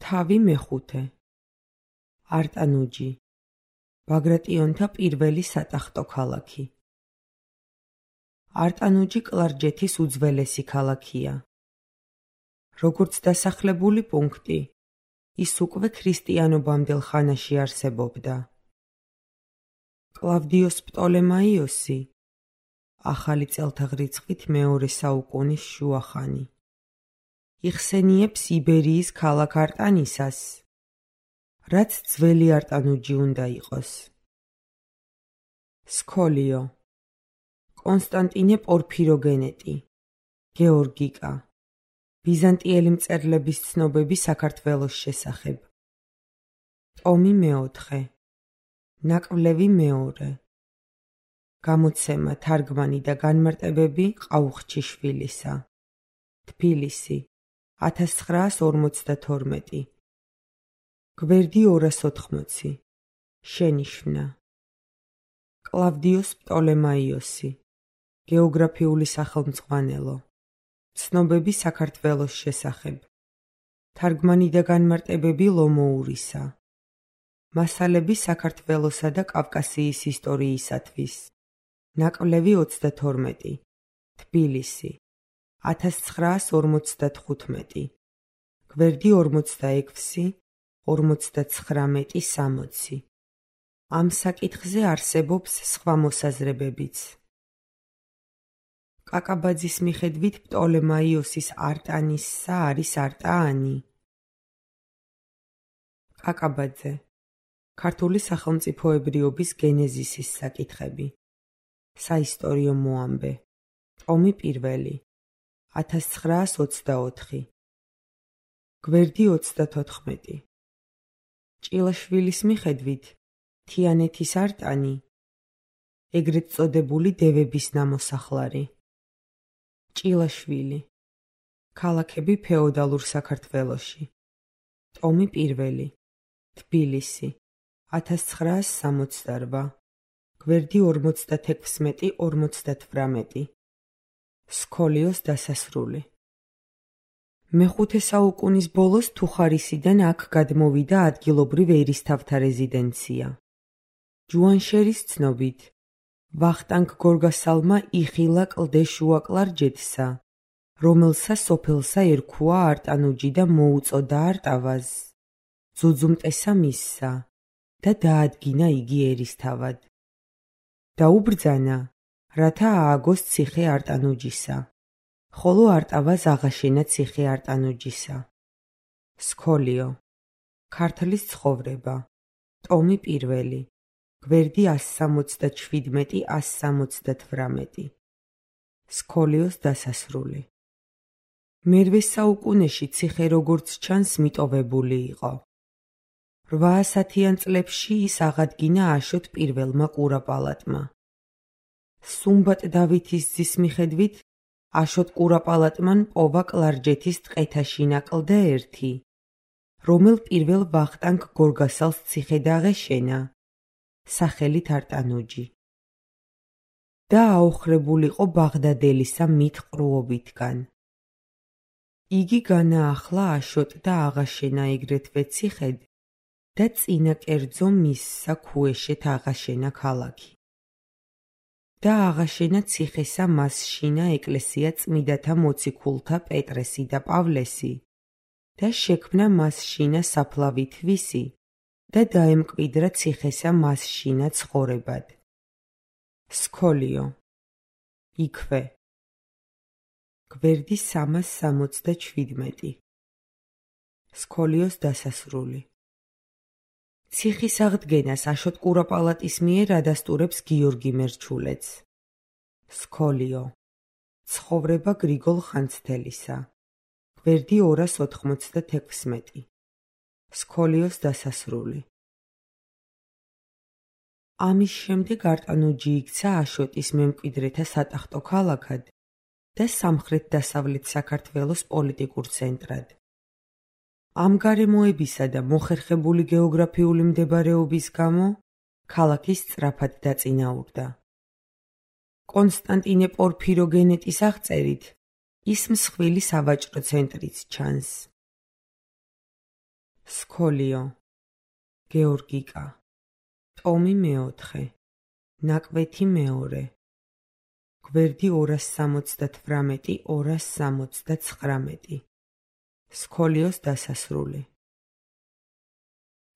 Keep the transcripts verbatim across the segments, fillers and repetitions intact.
თავი მეხუთე. არტანუჯი, ბაგრატიონთა პირველი სატახტო ქალაქი. არტანუჯი კლარჯეთის უძველესი ქალაქია. როგორც დასახლებული პუნქტი, ის უკვე ქრისტიანობამდელ ხანაში არსებობდა. კლავდიოს პტოლემაიოსი, ახალი წელთაღრიცხვით მეორე საუკუნის შუახანი, იხსენიებს იბერიის ქალაქ არტანისას, რაც ძველი არტანუჯი უნდა იყოს. სქოლიო, კონსტანტინე პორფიროგენეტი, გეორგიკა, ბიზანტიელი მწერლების ცნობები საქართველოს შესახებ. ტომი მეოთხე, ნაკვლევი მეორე. გამოცემა, თარგმანი და განმარტებები ყაუხჩიშვილისა. თბილისი, ათას ცხრაას ორმოცდათორმეტი. გვერდი ორას ოთხმოცი. შენიშვნა. კლავდიოს პტოლემაიოსი, გეოგრაფიული სახელმძღვანელო. ცნობები საქართველოს შესახებ. თარგმანი და განმარტებები ლომოურისა. მასალები საქართველოსა და კავკასიის ისტორიისათვის. ნაკვლევი ოცდათორმეტი. თბილისი, ათას ცხრაას ორმოცდათხუთმეტი. გვერდი ორმოცდაექვსი, ორმოცდაცხრამეტი, სამოცი. ამ საკითხზე არსებობს სხვა მოსაზრებებიც. კაკაბაძის მიხედვით პტოლემაიოსის არტანისსა არის არტაანი. კაკაბაძე, ქართული სახელმწიფოებრიობის გენეზისის საკითხები. საისტორიო მოამბე. ტომი პირველი. ათას ცხრაას ოცდაოთხი. გვერდი ოცდათოთხმეტი. ჭილაშვილის მიხედვით თიანეთის არტანი, ეგრეთ წოდებული დევების ნამოსახლარი. ჭილაშვილი. ქალაქები ფეოდალურ საქართველოში. ტომი პირველი. თბილისი, ათას ცხრაას სამოცდარვა. გვერდი ორმოცდათექვსმეტი, ორმოცდათვრამეტი. სქოლიოს დასასრული. მეხუთე საუკუნის ბოლოს თუხარისიდან აქ გადმოვიდა ადგილობრივ ერისთავთა რეზიდენცია. ჯუანშერის ცნობით, ვახტანგ გორგასალმა იხილა კლდეშუა კლარჯეთსა, რომელსა სოფელსა ერქვა არტანუჯი და მოუწოდა არტავაზ, ძუძუმტესა მისსა და დაადგინა იგი ერისთავად. დაუბრძანა, რათა ააგოს ციხე არტანუჯისა, ხოლო არტავაზ აღაშენა ციხე არტანუჯისა. სქოლიო, ქართლის ცხოვრება. ტომი პირველი. გვერდი ას სამოცდაჩვიდმეტი, ას სამოცდათვრამეტი. სქოლიოს დასასრული. მერვე საუკუნეში ციხე როგორც ჩანს მიტოვებული იყო. რვაასათიან წლებში ის აღადგინა აშოტ პირველმა კურაპალატმა. სუმბატ დავითის ძის მიხედვით აშოტ კურაპალატმან პოვა კლარჯეთის ტყეთაშინა კლდა ერთი, რომელ პირველ ვახტანგ გორგასალს ციხე დაღეშენა, სახელით არტანუჯი. და აოხრებულიყო ბაღდადელისა მითყრუობითგან. იგი განაახლა აშოტ და აღაშენა ეგრეთვე ციხედ და წინა კერძო მისსა ქუეშეთ აღაშენა ქალაქი. და აღაშენა ციხესა მასშინა ეკლესია წმიდათა მოციქულთა პეტრესი და პავლესი და შექმნა მასშინა საფლავი თვისი და დაემკვიდრა ციხესა მასშინა ცხოვრებად. სქოლიო. იქვე. გვერდი სამას სამოცდაჩვიდმეტი. სქოლიოს დასასრული. ციხის აღდგენას აშოტ კურაპალატის მიერ ადასტურებს გიორგი მერჩულეც. სქოლიო. ცხოვრება გრიგოლ ხანძთელისა. გვერდი ორას ოთხმოცდათექვსმეტი. სქოლიოს დასასრული. ამის შემდეგ არტანუჯი იქცა აშოტის მემკვიდრეთა სატახტო ქალაქად და სამხრეთ-დასავლეთ საქართველოს პოლიტიკურ ცენტრად. ამ გარემოებისა და მოხერხებული გეოგრაფიული მდებარეობის გამო ქალაქი სწრაფად დაწინაურდა. კონსტანტინე პორფიროგენეტის აღწერით ის მსხვილი სავაჭრო ცენტრიც ჩანს. სქოლიო, გეორგიკა, ტომი მეოთხე, ნაკვეთი მეორე, გვერდი ორას სამოცდათვრამეტი ორას სამოცდაცხრამეტი, სქოლიოს დასასრული.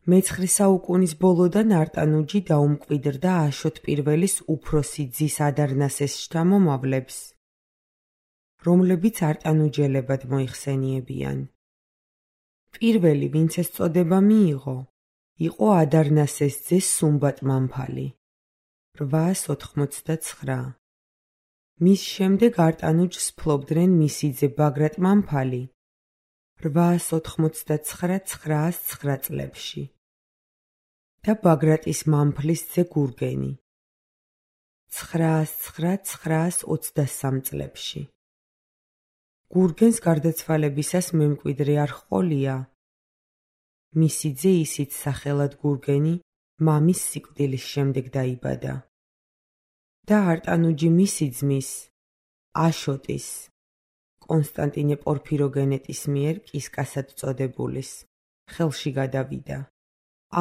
მეცხრე საუკუნის ბოლოდან არტანუჯი დაუმკვიდრდა აშოტ პირველის უფროსი ძის ადარნასეს შთამომავლებს, რომლებიც არტანუჯელებად მოიხსენიებიან. პირველი, ვინც ეს წოდება მიიღო, იყო ადარნასეს ძე სუმბატ მამფალი, რვაას ოთხმოცდაცხრა. მის შემდეგ არტანუჯს ფლობდნენ მისი ძე ბაგრატ მამფალი, რვაას ოთხმოცდაცხრა ცხრაას ცხრა წლებში და ბაგრატის მამფლის ძე გურგენი, ცხრაას ცხრა ცხრაას ოცდასამ წლებში. გურგენს გარდაცვალებისას მემკვიდრე არ ჰყოლია. მისი ძე ისიც სახელად გურგენი მამის სიკვდილის შემდეგ დაიბადა და არტანუჯი მისი ძმის, აშოტის, კონსტანტინე პორფიროგენეტის მიერ კისკასად წოდებულის ხელში გადავიდა.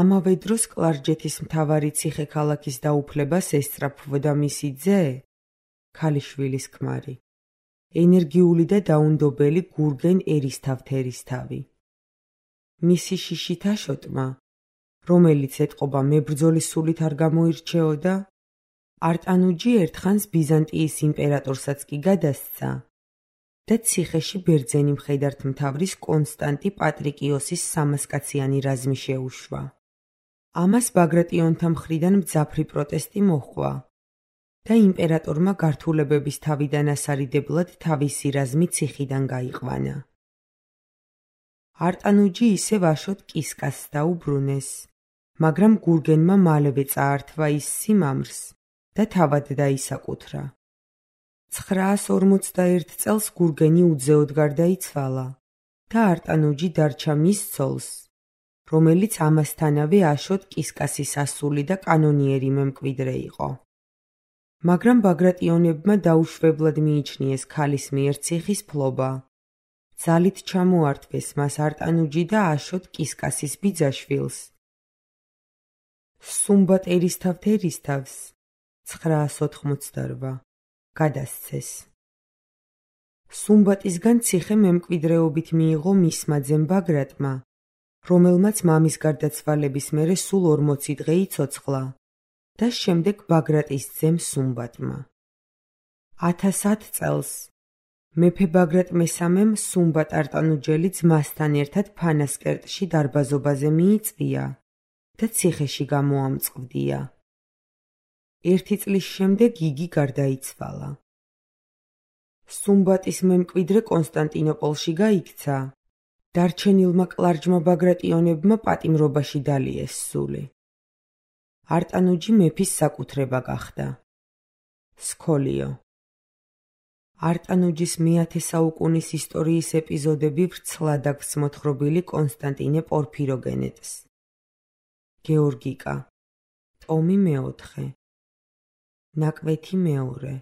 ამავე დროს კლარჯეთის მთავარი ციხე-ქალაქის დაუფლებას ესწრაფვდა მისი ძე, ქალიშვილის ქმარი, ენერგიული და დაუნდობელი გურგენ ერისთავთერისთავი. მისი შიშით აშოტმა, რომელიც ეტყობა მებრძოლის სულით არ გამოირჩეოდა, არტანუჯი ერთხანს ბიზანტიის იმპერატორსაც კი გადასცა და ციხეში ბერძენი მხედართმთავრის კონსტანტი პატრიკიოსის სამასკაციანი რაზმი შეუშვა. ამას ბაგრატიონთა მხრიდან მძაფრი პროტესტი მოჰყვა და იმპერატორმა გართულებების თავიდან ასარიდებლად თავისი რაზმი ციხიდან გაიყვანა. არტანუჯი ისევ აშოტ კისკასს დაუბრუნეს, მაგრამ გურგენმა მალევე წაართვა ის სიმამრს და თავად დაისაკუთრა. ცხრაას ორმოცდაერთ წელს გურგენი უძეოდ გარდაიცვალა და არტანუჯი დარჩა მის ცოლს, რომელიც ამასთანავე აშოტ კისკასის ასული და კანონიერი მემკვიდრე იყო. მაგრამ ბაგრატიონებმა დაუშვებლად მიიჩნიეს ქალის მიერ ციხის ფლობა. ძალით ჩამოართვეს მას არტანუჯი და აშოტ კისკასის ბიძაშვილს, სუმბატ ერისთავთერისთავს, ცხრაას ოთხმოცდარვა, გადასცეს. სუმბატისგან ციხე მემკვიდრეობით მიიღო მისმა ძემ ბაგრატმა, რომელმაც მამის გარდაცვალების მერე სულ ორმოცი დღე იცოცხლა და შემდეგ ბაგრატის ძემ სუმბატმა. ათას ათ წელს მეფე ბაგრატ მესამემ სუმბატ არტანუჯელი ძმასთან ერთად ფანასკერტში დარბაზობაზე მიიწვია და ციხეში გამოამწყვდია. ერთი წლის შემდეგ იგი გარდაიცვალა. სუმბატის მემკვიდრე კონსტანტინოპოლში გაიქცა, დარჩენილმა კლარჯმა ბაგრატიონებმა პატიმრობაში დალიეს სული. არტანუჯი მეფის საკუთრება გახდა. სქოლიო. არტანუჯის მეათე საუკუნის ისტორიის ეპიზოდები ვრცლად აქვს მოთხრობილი კონსტანტინე პორფიროგენეტს. გეორგიკა, ტომი მეოთხე, ნაკვეთი მეორე,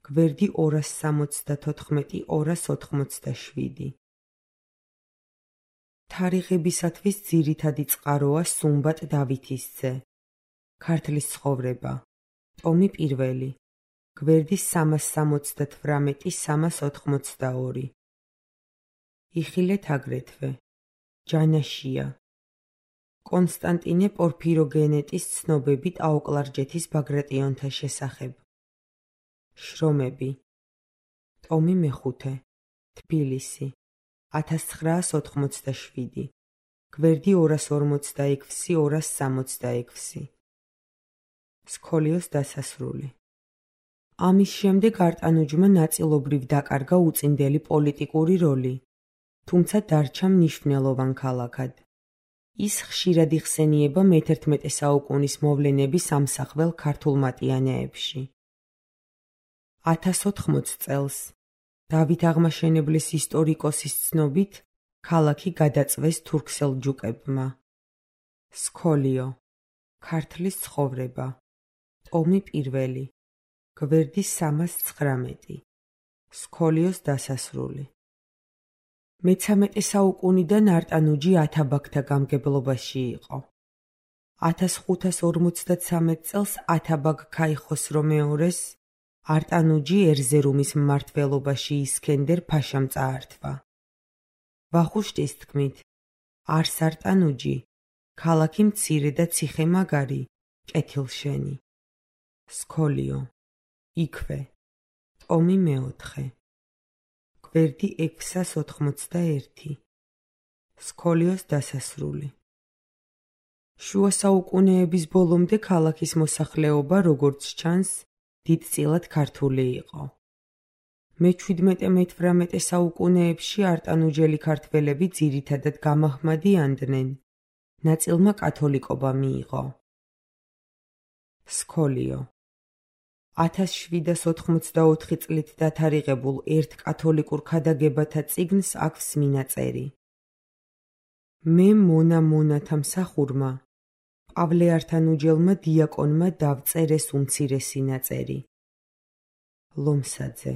გვერდი ორას სამოცდათოთხმეტი ორას ოთხმოცდაშვიდი. თარიღებისათვის ძირითადი წყაროა სუმბატ დავითის ძე, ქართლის ცხოვრება, ტომი პირველი, გვერდი სამას სამოცდათვრამეტი სამას ოთხმოცდაორი. იხილეთ აგრეთვე, ჯანაშია, კონსტანტინე პორფიროგენეტის ცნობები ტაოკლარჯეთის ბაგრატიონთა შესახებ. შრომები, ტომი მეხუთე, თბილისი, ათას ცხრაას ოთხმოცდაშვიდი, გვერდი ორას ორმოცდაექვსი ორას სამოცდაექვსი. სქოლიოს დასასრული. ამის შემდეგ არტანუჯმა ნაწილობრივ დაკარგა უწინდელი პოლიტიკური როლი, თუმცა დარჩა მნიშვნელოვან ქალაქად. ის ხშირად იხსენიება მეთერთმეტე საუკუნის მოვლენების ამსახველ ქართულ მატიანეებში. ათას ოთხმოც წელს, დავით აღმაშენებლის ისტორიკოსის ცნობით, ქალაქი გადაწვეს თურქსელჯუკებმა. სქოლიო, ქართლის ცხოვრება, ტომი პირველი, გვერდი სამას ცხრამეტი, სქოლიოს დასასრული. მეთერთმეტე საუკუნიდან არტანუჯი ათაბაგთა გამგებლობაში იყო. ათას ხუთას ორმოცდათსამეტ წელს ათაბაგ ქაიხოსრო მეორეს არტანუჯი ერზერუმის მმართველობაში ისქენდერ ფაშამ წაართვა. ვახუშტის თქმით, არს არტანუჯი, ქალაქი მცირე და ციხე-მაგარი, კეთილშენი. სქოლიო, იქვე, ტომი მეოთხე. გვერდი ექვსას ოთხმოცდაერთი. სქოლიოს დასასრული. შუა საუკუნეების ბოლომდე ქალაქის მოსახლეობა, როგორც ჩანს, დიდწილად ქართული იყო. მეჩვიდმეტე-მეთვრამეტე საუკუნეებში არტანუჯელი ქართველები ძირითადად გამაჰმადიანდნენ, ნაწილმა კათოლიკობა მიიღო. სქოლიო. ათას შვიდას ოთხმოცდაოთხი წლით დათარიღებულ ერთ კათოლიკურ ქადაგებათა წიგნს აქვს მინაწერი. მე მონა მონათა მსახურმა, პავლე ართანუჯელმა დიაკონმა დავწერეს უმცირესი ნაწერი. ლომსაძე.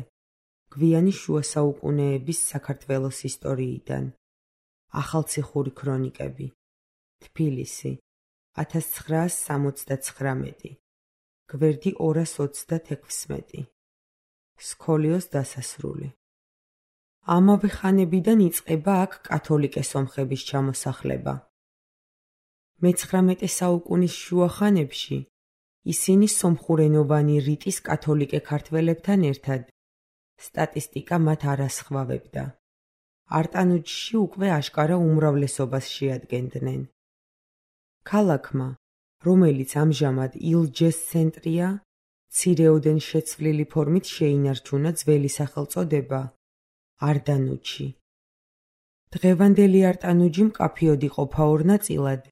გვიანი შუა საუკუნეების საქართველოს ისტორიიდან. ახალციხური ქრონიკები. თბილისი. ათას ცხრაას სამოცდაცხრამეტი. გვერდი ორას ოცდათექვსმეტი. სქოლიოს დასასრული. ამავე ხანებიდან იწყება აქ კათოლიკე სომხების ჩამოსახლება. მეცხრამეტე საუკუნის შუა ხანებში ისინი სომხურენოვანი რიტის კათოლიკე ქართველებთან ერთად სტატისტიკა მათ არ ასხვავებდა. არტანუჯში უკვე აშკარა უმრავლესობას შეადგენდნენ. ქალაქმა, რომელიც ამჟამად ილჯეს ცენტრია, მცირეოდენ შეცვლილი ფორმით შეინარჩუნა ძველი სახელწოდება არდანუჯი. დღევანდელი არტანუჯი მკაფიოდ იყოფა ორ ნაწილად,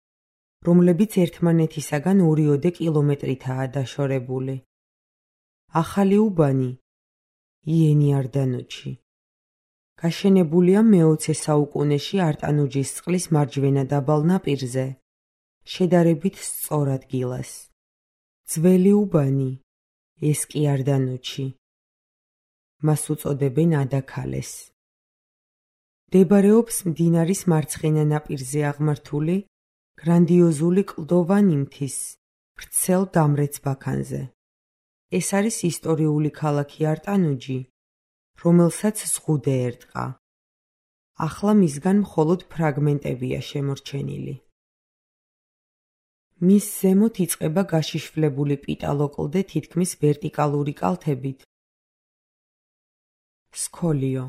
რომლებიც ერთმანეთისაგან ორიოდე კილომეტრითაა დაშორებული. ახალი უბანი, იენი არდანუჯი, გაშენებულია მეოცე საუკუნეში არტანუჯის წყლის მარჯვენა დაბალ ნაპირზე, შედარებით სწორ ადგილას. ძველი უბანი, ეს კი არდანუჯი. მას უწოდებენ ადაქალეს. მდებარეობს მდინარის მარცხენა ნაპირზე აღმართული გრანდიოზული კლდოვანი მთის ვრცელ დამრეც ბაქანზე. ეს არის ისტორიული ქალაქი არტანუჯი, რომელსაც ზღუდე ერტყა. ახლა მისგან მხოლოდ ფრაგმენტებია შემორჩენილი. მის ზემოთ იწყება გაშიშვლებული პიტალო კლდე თითქმის ვერტიკალური კალთებით. სქოლიო.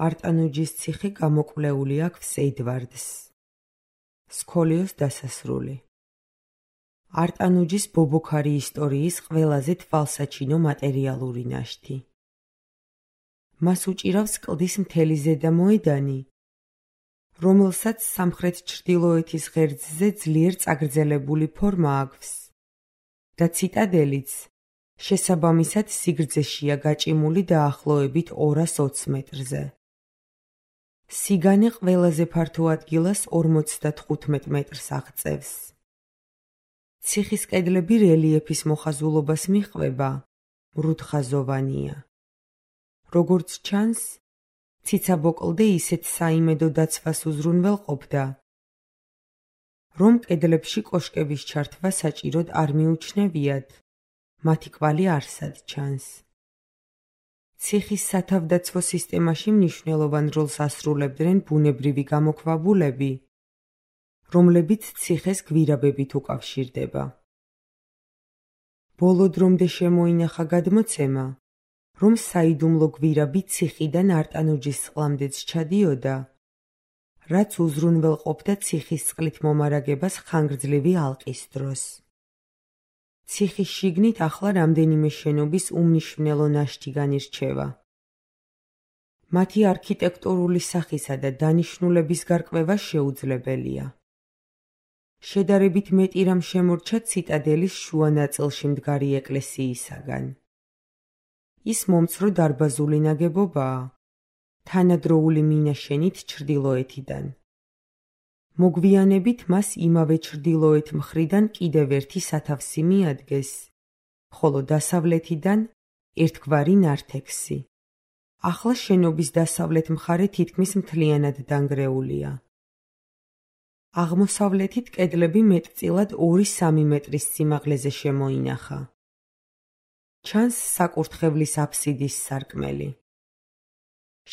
არტანუჯის ციხე გამოკვლეული აქვს ედვარდს. სქოლიოს დასასრული. არტანუჯის ბობოქარი ისტორიის ყველაზე თვალსაჩინო მატერიალური ნაშთი. მას უჭირავს კლდის მთელი ზედამოედანი, რომელსაც სამხრეთ-ჩრდილოეთის ღერძზე ძლიერ წაგრძელებული ფორმა აქვს და ციტადელიც შესაბამისად სიგრძეშია გაჭიმული დაახლოებით ორას ოც მეტრზე. სიგანე ყველაზე ფართო ადგილას ორმოცდათხუთმეტ მეტრს აღწევს. ციხის კედლები რელიეფის მოხაზულობას მიჰყვება, მრუდხაზოვანია. როგორც ჩანს, ციცაბო კლდე ისეთ საიმედო დაცვას უზრუნველყოფდა, რომ კედლებში კოშკების ჩართვა საჭიროდ არ მიუჩნევიათ, მათი კვალი არსად ჩანს. ციხის სათავდაცვო სისტემაში მნიშვნელოვან როლს ასრულებდნენ ბუნებრივი გამოქვაბულები, რომლებიც ციხეს გვირაბებით უკავშირდება. ბოლო დრომდე შემოინახა გადმოცემა, რომ საიდუმლო გვირაბი ციხიდან არტანუჯის წყლამდეც ჩადიოდა, რაც უზრუნველყოფდა ციხის წყლით მომარაგებას ხანგრძლივი ალყის დროს. ციხის შიგნით ახლა რამდენიმე შენობის უმნიშვნელო ნაშთი განირჩევა. მათი არქიტექტურული სახისა და დანიშნულების გარკვევა შეუძლებელია. შედარებით მეტი რამ შემორჩა ციტადელის შუა ნაწილში მდგარი ეკლესიისაგან. ის მომცრო დარბაზული ნაგებობაა, თანადროული მინაშენით ჩრდილოეთიდან. მოგვიანებით მას იმავე ჩრდილოეთ მხრიდან კიდევ ერთი სათავსი მიადგეს, ხოლო დასავლეთიდან ერთგვარი ნართექსი. ახლა შენობის დასავლეთ მხარე თითქმის მთლიანად დანგრეულია. აღმოსავლეთით კედლები მეტწილად ორი-სამი მეტრის სიმაღლეზე შემოინახა. ჩანს საკურთხევლის აფსიდის სარკმელი.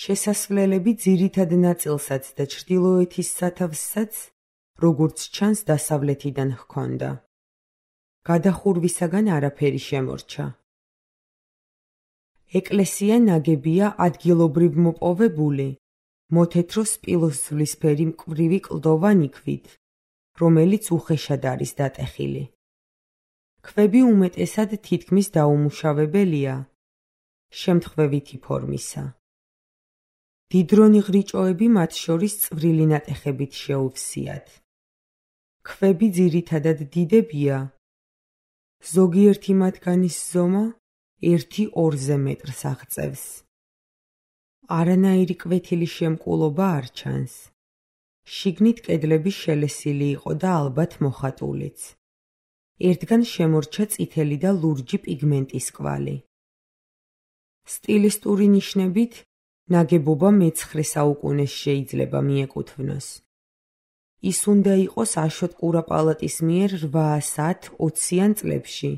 შესასვლელები ძირითად ნაწილსაც და ჩრდილოეთის სათავსსაც, როგორც ჩანს, დასავლეთიდან ჰქონდა. გადახურვისაგან არაფერი შემორჩა. ეკლესია ნაგებია ადგილობრივ მოპოვებული, მოთეთრო სპილოსძვლისფერი მკვრივი კლდოვანი ქვით, რომელიც უხეშად არის დატეხილი. ქვები უმეტესად თითქმის დაუმუშავებელია, შემთხვევითი ფორმისა. დიდრონი ღრიჭოები მათ შორის წვრილი ნატეხებით შეუვსიათ. ქვები ძირითადად დიდებია, ზოგიერთი მათგანის ზომა ერთი-ორზე მეტრს აღწევს. არანაირი კვეთილი შემკულობა არ ჩანს. შიგნით კედლები შელესილი იყო და ალბათ მოხატულიც. ერთგან შემორჩა წითელი და ლურჯი პიგმენტის კვალი. სტილისტური ნიშნებით ნაგებობა მეცხრე საუკუნეს შეიძლება მიეკუთვნოს. ის უნდა იყოს აშოტ კურაპალატის მიერ რვაასათ-ოციან წლებში,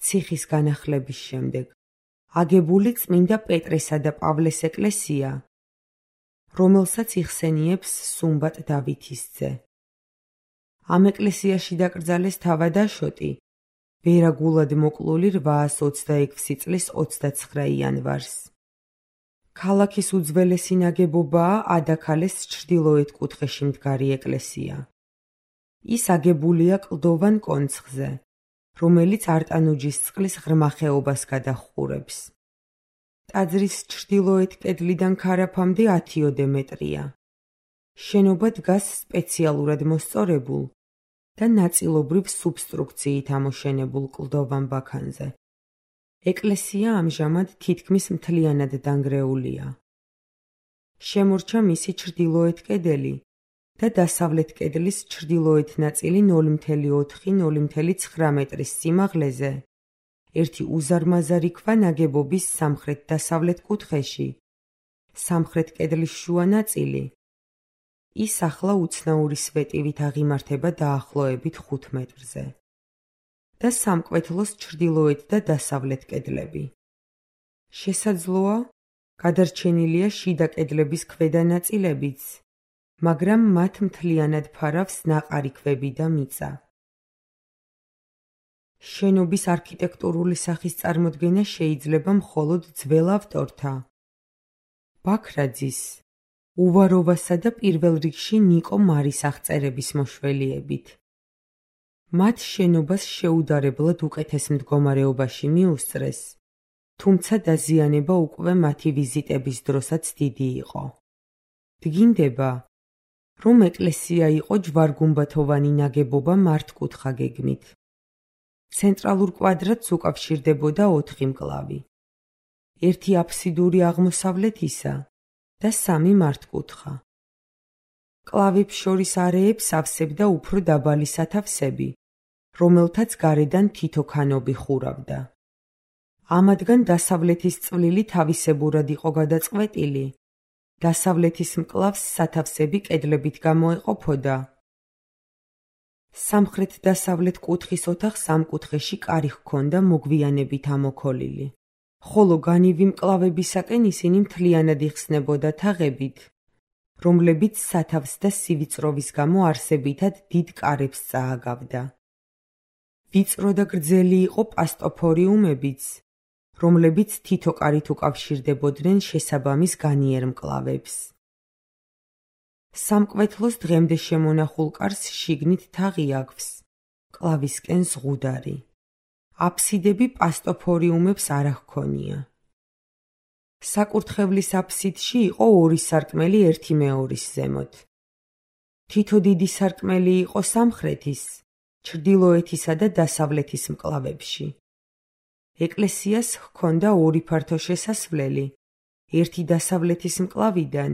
ციხის განახლების შემდეგ, აგებული წმინდა პეტრესა და პავლეს ეკლესია, რომელსაც იხსენიებს სუმბატ დავითისძე. ამ ეკლესიაში დაკრძალეს თავად აშოტი, ვერაგულად მოკლული რვაასი ოცდაექვსი წლის ოცდაცხრა იანვარს. ქალაქის უძველესი ნაგებობაა ადაქალეს ჩრდილოეთ კუთხეში მდგარი ეკლესია. ის აგებულია კლდოვან კონცხზე, რომელიც არტანუჯის წყლის ღრმა ხეობას გადაჰყურებს. ტაძრის ჩრდილოეთ კედლიდან ქარაფამდე ათიოდე მეტრია. შენობა დგას სპეციალურად მოსწორებულ და ნაწილობრივ სუბსტრუქციით ამოშენებულ კლდოვან ბაქანზე. ეკლესია ამჟამად თითქმის მთლიანად დანგრეულია. შემორჩა მისი ჩრდილოეთ კედელი და დასავლეთ კედლის ჩრდილოეთ ნაწილი ნული ოთხი - ნული ცხრა მეტრის სიმაღლეზე, ერთი უზარმაზარი ქვა ნაგებობის სამხრეთ-დასავლეთ კუთხეში, სამხრეთ კედლის შუა ნაწილი. ის ახლა უცნაური სვეტივით აღიმართება დაახლოებით ხუთ მეტრზე. და სამკვეთლოს ჩრდილოეთ და დასავლეთ კედლები. შესაძლოა, გადარჩენილია შიდა კედლების ქვედა ნაწილებიც, მაგრამ მათ მთლიანად ფარავს ნაყარი ქვები და მიწა. შენობის არქიტექტურული სახის წარმოდგენა შეიძლება მხოლოდ ძველ ავტორთა, ბაქრაძის, უვაროვასა და პირველ რიგში ნიკო მარის აღწერების მოშველიებით. მათ შენობას შეუდარებლად უკეთეს მდგომარეობაში მიუსწრეს, თუმცა დაზიანება უკვე მათი ვიზიტების დროსაც დიდი იყო. დგინდება, რომ ეკლესია იყო ჯვარ-გუმბათოვანი ნაგებობა მართკუთხა გეგმით. ცენტრალურ კვადრატს უკავშირდებოდა ოთხი მკლავი. ერთი აფსიდური აღმოსავლეთისა და სამი მართკუთხა. მკლავებს შორის არეებს ავსებდა უფრო დაბალი სათავსები, რომელთაც გარედან თითო ქანობი ხურავდა. ამათგან დასავლეთის წვლილი თავისებურად იყო გადაწყვეტილი, დასავლეთის მკლავს სათავსები კედლებით გამოეყოფოდა. სამხრეთ-დასავლეთ კუთხის ოთახს ამ კუთხეში კარი ჰქონდა მოგვიანებით ამოქოლილი, ხოლო განივი მკლავებისაკენ ისინი მთლიანად იხსნებოდა თაღებით, რომლებიც სათავს და სივიწროვის გამო არსებითად დიდ კარებს წააგავდა. ვიწრო და გრძელი იყო პასტოფორიუმებიც, რომლებიც თითო კარით უკავშირდებოდნენ შესაბამის განიერ მკლავებს. სამკვეთლოს დღემდე შემონახულ კარს შიგნით თაღი აქვს, მკლავისკენ ზღუდარი. აფსიდები პასტოფორიუმებს არ ჰქონია. საკურთხევლის აფსიდში იყო ორი სარკმელი ერთი მეორის ზემოთ. თითო დიდი სარკმელი იყო სამხრეთის, ჩრდილოეთისა და დასავლეთის მკლავებში. ეკლესიას ჰქონდა ორი ფართო შესასვლელი, ერთი დასავლეთის მკლავიდან,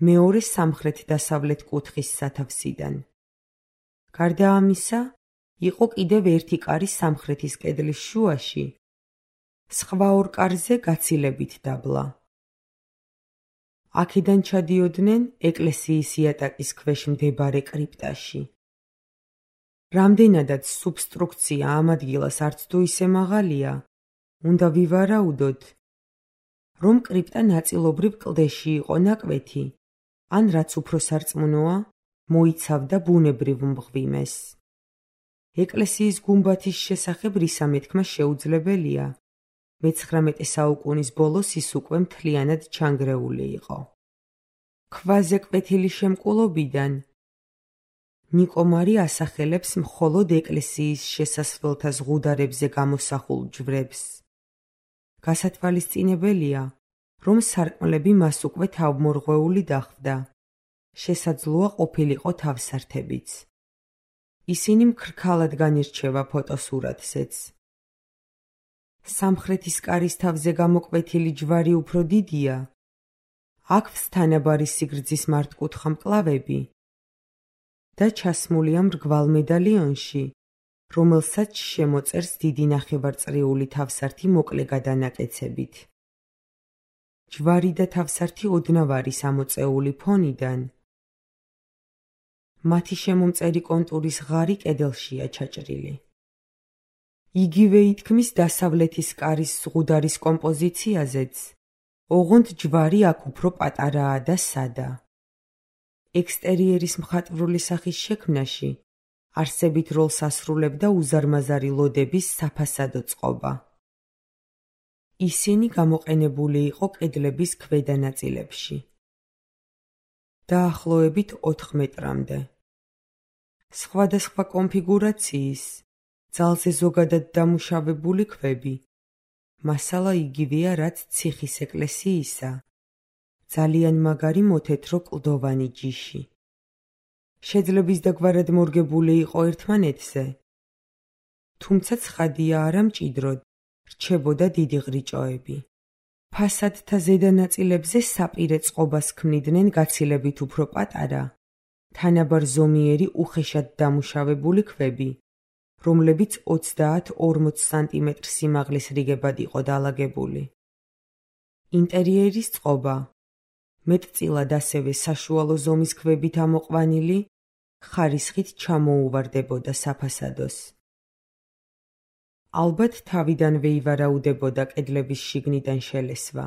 მეორე სამხრეთ-დასავლეთ კუთხის სათავსიდან. გარდა ამისა, იყო კიდევ ერთი კარი სამხრეთის კედლის შუაში, სხვა ორ კარზე გაცილებით დაბლა. აქედან ჩადიოდნენ ეკლესიის იატაკის ქვეშ მდებარე კრიპტაში. რამდენადაც სუბსტრუქცია ამ ადგილას არც თუ ისე მაღალია, უნდა ვივარაუდოთ, რომ კრიპტა ნაწილობრივ კლდეში იყო ნაკვეთი, ან რაც უფრო სარწმუნოა, მოიცავდა ბუნებრივ მღვიმეს. ეკლესიის გუმბათის შესახებ რისა მეთქმა შეუძლებელია, მეცხრამეტე საუკუნის ბოლოს ის უკვე მთლიანად ჩანგრეული იყო. ქვაზე კვეთილი შემკულობიდან ნიკომარი ასახელებს მხოლოდ ეკლესიის შესასვლელთა ზღუდარებზე გამოსახულ ჯვრებს. გასათვალისწინებელია, რომ სარკმლები მას უკვე თავმორღვეული დახვდა. შესაძლოა ყოფილიყო თავსართებიც. ისინი მქრქალად განირჩევა ფოტოსურათზეც. სამხრეთის კარის თავზე გამოკვეთილი ჯვარი უფრო დიდია. აქვს თანაბარი სიგრძის მართკუთხა მკლავები და ჩასმულია მრგვალ მედალიონში, რომელსაც შემოწერს დიდი ნახევარწრიული თავსართი მოკლე გადანაკეცებით. ჯვარი და თავსართი ოდნავ არის ამოწეული ფონიდან. მათი შემომწერი კონტურის ღარი კედელშია ჩაჭრილი. იგივე ითქმის დასავლეთის კარის ზღუდარის კომპოზიციაზეც, ოღონდ ჯვარი აქ უფრო პატარაა და სადა. ექსტერიერის მხატვრული სახის შექმნაში არსებით როლს ასრულებდა უზარმაზარი ლოდების საფასადო წყობა. ისინი გამოყენებული იყო კედლების ქვედა ნაწილებში. დაახლოებით ოთხ მეტრამდე. სხვადასხვა კონფიგურაციის, ძალზე ზოგადად დამუშავებული ქვები, მასალა იგივეა, რაც ციხის ეკლესიისა, ძალიან მაგარი მოთეთრო კლდოვანი ჯიში. შეძლების დაგვარად მორგებული იყო ერთმანეთზე, თუმცა ცხადია არა მჭიდროდ, რჩებოდა დიდი ղრიჭოები. ფასადთა ზედა ნაწილებზე საპირე წყობას ქმნიდნენ გაცილებით უფრო პატარა, თანაბარ ზომიერი უხეშად დამუშავებული ქვები, რომლებიც ოცდაათ ორმოც სანტიმეტრ სიმაღლის რიგებად იყო დალაგებული. ინტერიერის წყობა, მეტწილად ასევე საშუალო ზომის ქვებით ამოყვანილი, ხარისხით ჩამოუვარდებოდა საფასადოს. ალბათ თავიდანვე ივარაუდებოდა კედლების შიგნიდან შელესვა.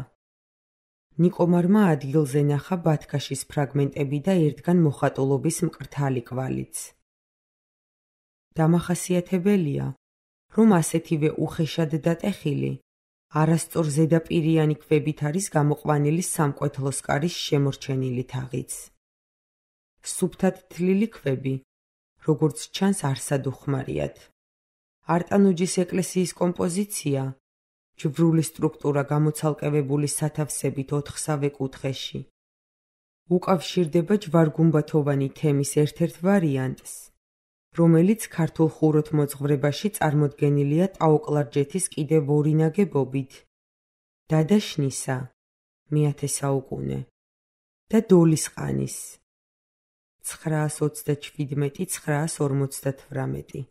ნიკომარმა ადგილზე ნახა ბათქაშის ფრაგმენტები და ერთგან მოხატულობის მკრთალი კვალიც. დამახასიათებელია, რომ ასეთივე უხეშად დატეხილი, არასწორ ზედაპირიანი ქვებით არის გამოყვანილი სამკვეთლოს კარის შემორჩენილი თაღიც. სუფთად თლილი ქვები, როგორც ჩანს, არსად უხმარიათ. არტანუჯის ეკლესიის კომპოზიცია, ჯვრული სტრუქტურა გამოცალკევებული სათავსებით ოთხსავე კუთხეში, უკავშირდება ჯვარგუმბათოვანი თემის ერთ-ერთ ვარიანტს, რომელიც ქართულ ხუროთმოძღვრებაში წარმოდგენილია ტაოკლარჯეთის კიდევ ორი ნაგებობით, დადაშნისა, მეათე საუკუნე და დოლისყანის, ცხრაას ოცდაჩვიდმეტი ცხრაას ორმოცდათვრამეტი.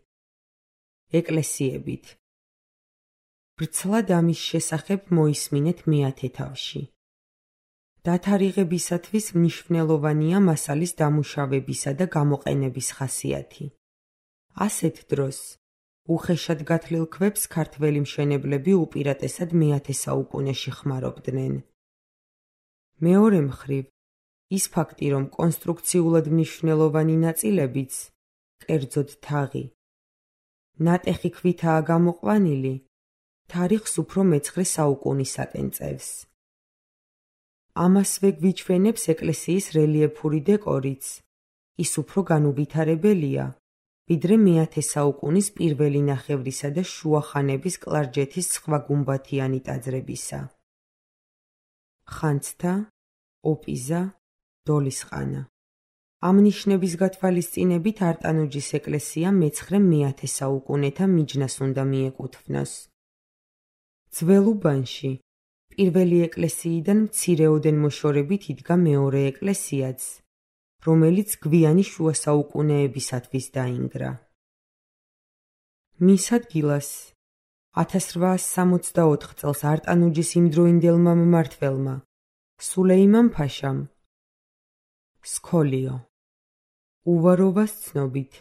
ეკლესიებით. ბრცლად ამის შესახებ მოისმინეთ მეათე თავში. დათარიღებისათვის მნიშვნელოვანია მასალის დამუშავებისა და გამოყენების ხასიათი. ასეთ დროს უხეშად გათლილ ქვებს ქართველი მშენებლები უპირატესად მეათე საუკუნეში ხმარობდნენ. მეორე მხრივ, ის ფაქტი, რომ კონსტრუქციულად მნიშვნელოვანი ნაწილებიც, კერძოდ თაღი, ნატეხი ქვითაა გამოყვანილი, თარიღს უფრო მეცხრე საუკუნისაკენ წევს. ამასვე გვიჩვენებს ეკლესიის რელიეფური დეკორიც, ის უფრო განუვითარებელია, ვიდრე მეათე საუკუნის პირველი ნახევრისა და შუახანების კლარჯეთის სხვა გუმბათიანი ტაძრებისა. ხანძთა, ოპიზა, დოლისყანა. ამ ნიშნების გათვალისწინებით არტანუჯის ეკლესია მეცხრე-მეათე საუკუნეთა მიჯნას უნდა მიეკუთვნოს. ძველ უბანში პირველი ეკლესიიდან მცირეოდენ მოშორებით იდგა მეორე ეკლესიაც, რომელიც გვიანი შუა საუკუნეებისათვის დაინგრა. მის ადგილას ათას რვაას სამოცდაოთხ წელს არტანუჯის იმდროინდელმა მმართველმა სულეიმან-ფაშამ. სქოლიო. უვაროვას ცნობით,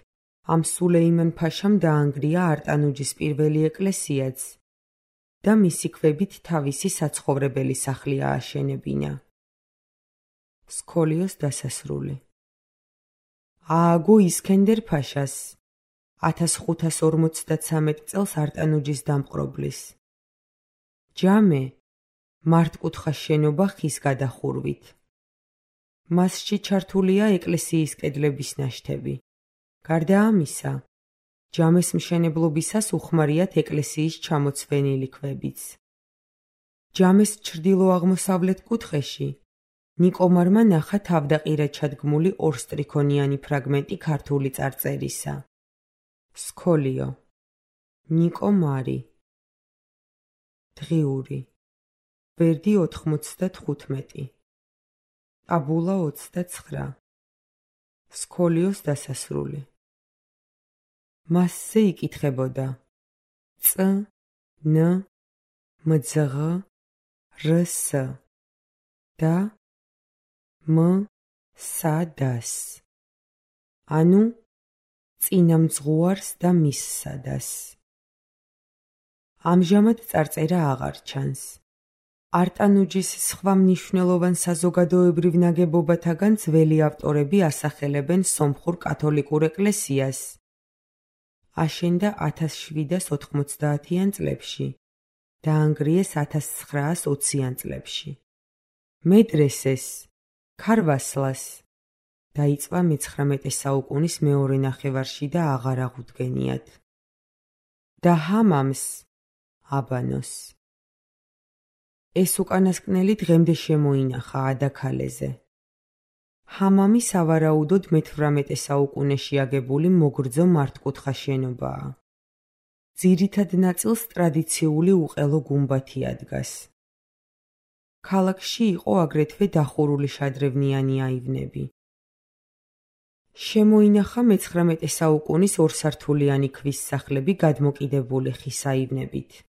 ამ სულეიმან-ფაშამ დაანგრია არტანუჯის პირველი ეკლესიაც და მისი ქვებით თავისი საცხოვრებელი სახლი ააშენებინა. სქოლიოს დასასრული. ააგო ისქენდერ-ფაშას ათას ხუთას ორმოცდათსამეტ წელს არტანუჯის დამპყრობლის. ჯამე მართკუთხა შენობა ხის გადახურვით. მასში ჩართულია ეკლესიის კედლების ნაშთები. გარდა ამისა, ჯამეს მშენებლობისას უხმარიათ ეკლესიის ჩამოცვენილი ქვებიც. ჯამეს ჩრდილო-აღმოსავლეთ კუთხეში ნიკომარმა ნახა თავდაყირად ჩადგმული ორსტრიქონიანი ფრაგმენტი ქართული წარწერისა. სქოლიო. ნიკომარი. დღიური. ბერდი ოთხმოცდათხუთმეტი. ტაბულა ოცდაცხრა. სქოლიოს დასასრული. მასზე იკითხებოდა წ, ν, მძღ, რს და մ, სა, დას. ანუ წინამძღვარს და მისსადას. ამჟამად წარწერა აღარ ჩანს. არტანუჯის სხვა მნიშვნელოვან საზოგადოებრივ ნაგებობათაგან ძველი ავტორები ასახელებენ სომხურ კათოლიკურ ეკლესიას. აშენდა ათას შვიდას ოთხმოცდაათიან წლებში, დაანგრიეს ათას ცხრაას ოციან წლებში. მედრესეს, ქარვასლას დაიწვა მეცხრამეტე საუკუნის მეორე ნახევარში და აღარ აღუდგენიათ. და ჰამამს, აბანოს. ეს უკანასკნელი დღემდე შემოინახა ადაქალეზე. ჰამამი სავარაუდოდ მეთვრამეტე საუკუნეში აგებული მოგრძო მართკუთხა შენობაა. ძირითად ნაწილს ტრადიციული უყელო გუმბათი ადგას. ქალაქში იყო აგრეთვე დახურული შადრევნიანი აივნები. შემოინახა მეცხრამეტე საუკუნის ორსართულიანი ქვის სახლები გადმოკიდებული ხის აივნებით.